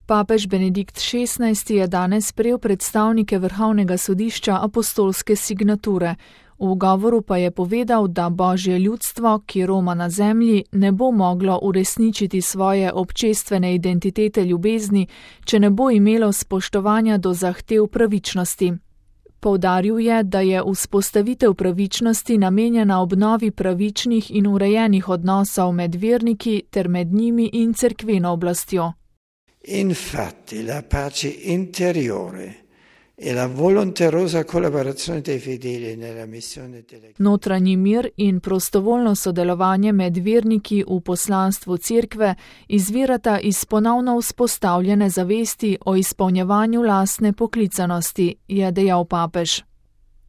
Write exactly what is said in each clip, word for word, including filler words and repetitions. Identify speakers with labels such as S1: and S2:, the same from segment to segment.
S1: Papež Benedikt šestnajsti je danes sprejel predstavnike Vrhovnega sodišča apostolske signature. V govoru pa je povedal, da Božje ljudstvo, ki roma na zemlji, ne bo moglo uresničiti svoje občestvene identitete ljubezni, če ne bo imelo spoštovanja do zahtev pravičnosti. Poudaril je, da je vzpostavitev pravičnosti namenjena obnovi pravičnih in urejenih odnosov med verniki ter med njimi in cerkveno oblastjo.
S2: Infatti la pace interiore e la volonterosa collaborazione dei fedeli nella missione delle...
S1: Notranji mir in prostovoljno sodelovanje med verniki v poslanstvu cerkve izvirata iz ponovno vzpostavljene zavesti o izpolnjevanju lastne poklicanosti, je dejal papež.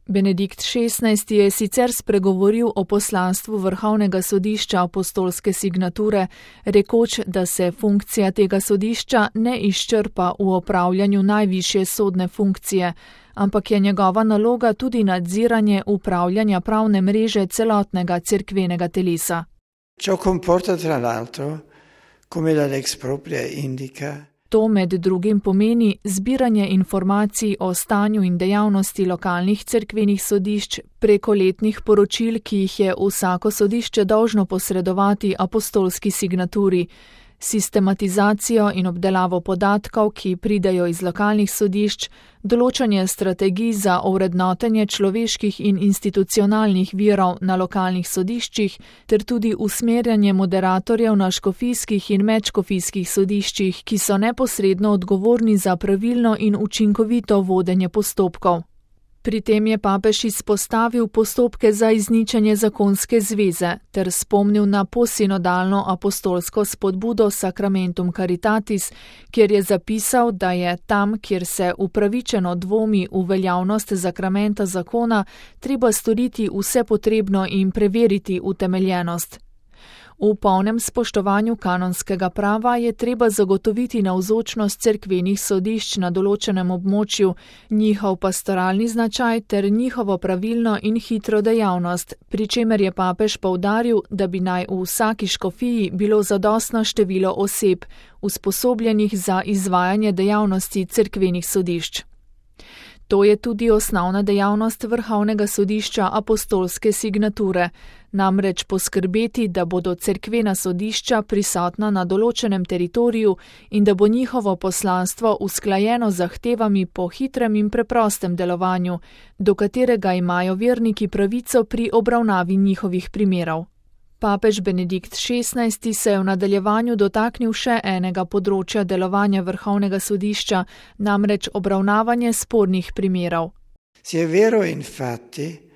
S1: Benedikt šestnajsti je sicer spregovoril o poslanstvu Vrhovnega sodišča apostolske signature, rekoč, da se funkcija tega sodišča ne izčrpa v opravljanju najvišje sodne funkcije, ampak je njegova naloga tudi nadziranje upravljanja pravne mreže celotnega cerkvenega telesa.
S2: Ciò comporta tra l'altro, come la lex propria indica,
S1: To med drugim pomeni zbiranje informacij o stanju in dejavnosti lokalnih cerkvenih sodišč preko letnih poročil, ki jih je vsako sodišče dolžno posredovati apostolski signaturi, sistematizacijo in obdelavo podatkov, ki pridejo iz lokalnih sodišč, določanje strategij za ovrednotenje človeških in institucionalnih virov na lokalnih sodiščih ter tudi usmerjanje moderatorjev na škofijskih in medškofijskih sodiščih, ki so neposredno odgovorni za pravilno in učinkovito vodenje postopkov. Pri tem je papež izpostavil postopke za izničenje zakonske zveze ter spomnil na posinodalno apostolsko spodbudo Sacramentum Caritatis, kjer je zapisal, da je tam, kjer se upravičeno dvomi v veljavnost sakramenta zakona, treba storiti vse potrebno in preveriti utemeljenost. V polnem spoštovanju kanonskega prava je treba zagotoviti navzočnost cerkvenih sodišč na določenem območju, njihov pastoralni značaj ter njihovo pravilno in hitro dejavnost, pri čemer je papež poudaril, da bi naj v vsaki škofiji bilo zadostno število oseb, usposobljenih za izvajanje dejavnosti cerkvenih sodišč. To je tudi osnovna dejavnost Vrhovnega sodišča apostolske signature, namreč poskrbeti, da bodo cerkvena sodišča prisotna na določenem teritoriju in da bo njihovo poslanstvo usklajeno z zahtevami po hitrem in preprostem delovanju, do katerega imajo verniki pravico pri obravnavi njihovih primerov. Papež Benedikt šestnajsti se je v nadaljevanju dotaknil še enega področja delovanja Vrhovnega sodišča, namreč obravnavanje spornih primerov.
S2: Si è vero infatti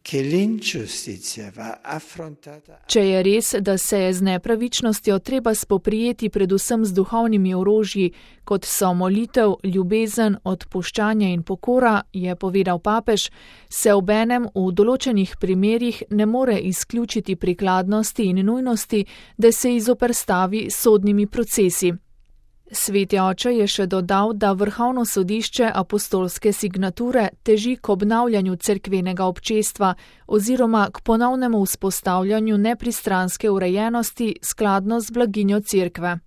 S2: che l'ingiustizia va affrontata.
S1: Če je res, da se je z nepravičnostjo treba spoprijeti predvsem z duhovnimi orožji, kot so molitev, ljubezen, odpuščanje in pokora, je povedal papež, se obenem v določenih primerih ne more izključiti prikladnosti in nujnosti, da se izoperstavi sodnimi procesi. Sveti oče je še dodal, da Vrhovno sodišče apostolske signature teži k obnavljanju cerkvenega občestva oziroma k ponovnemu vzpostavljanju nepristranske urejenosti skladno z blaginjo cerkve.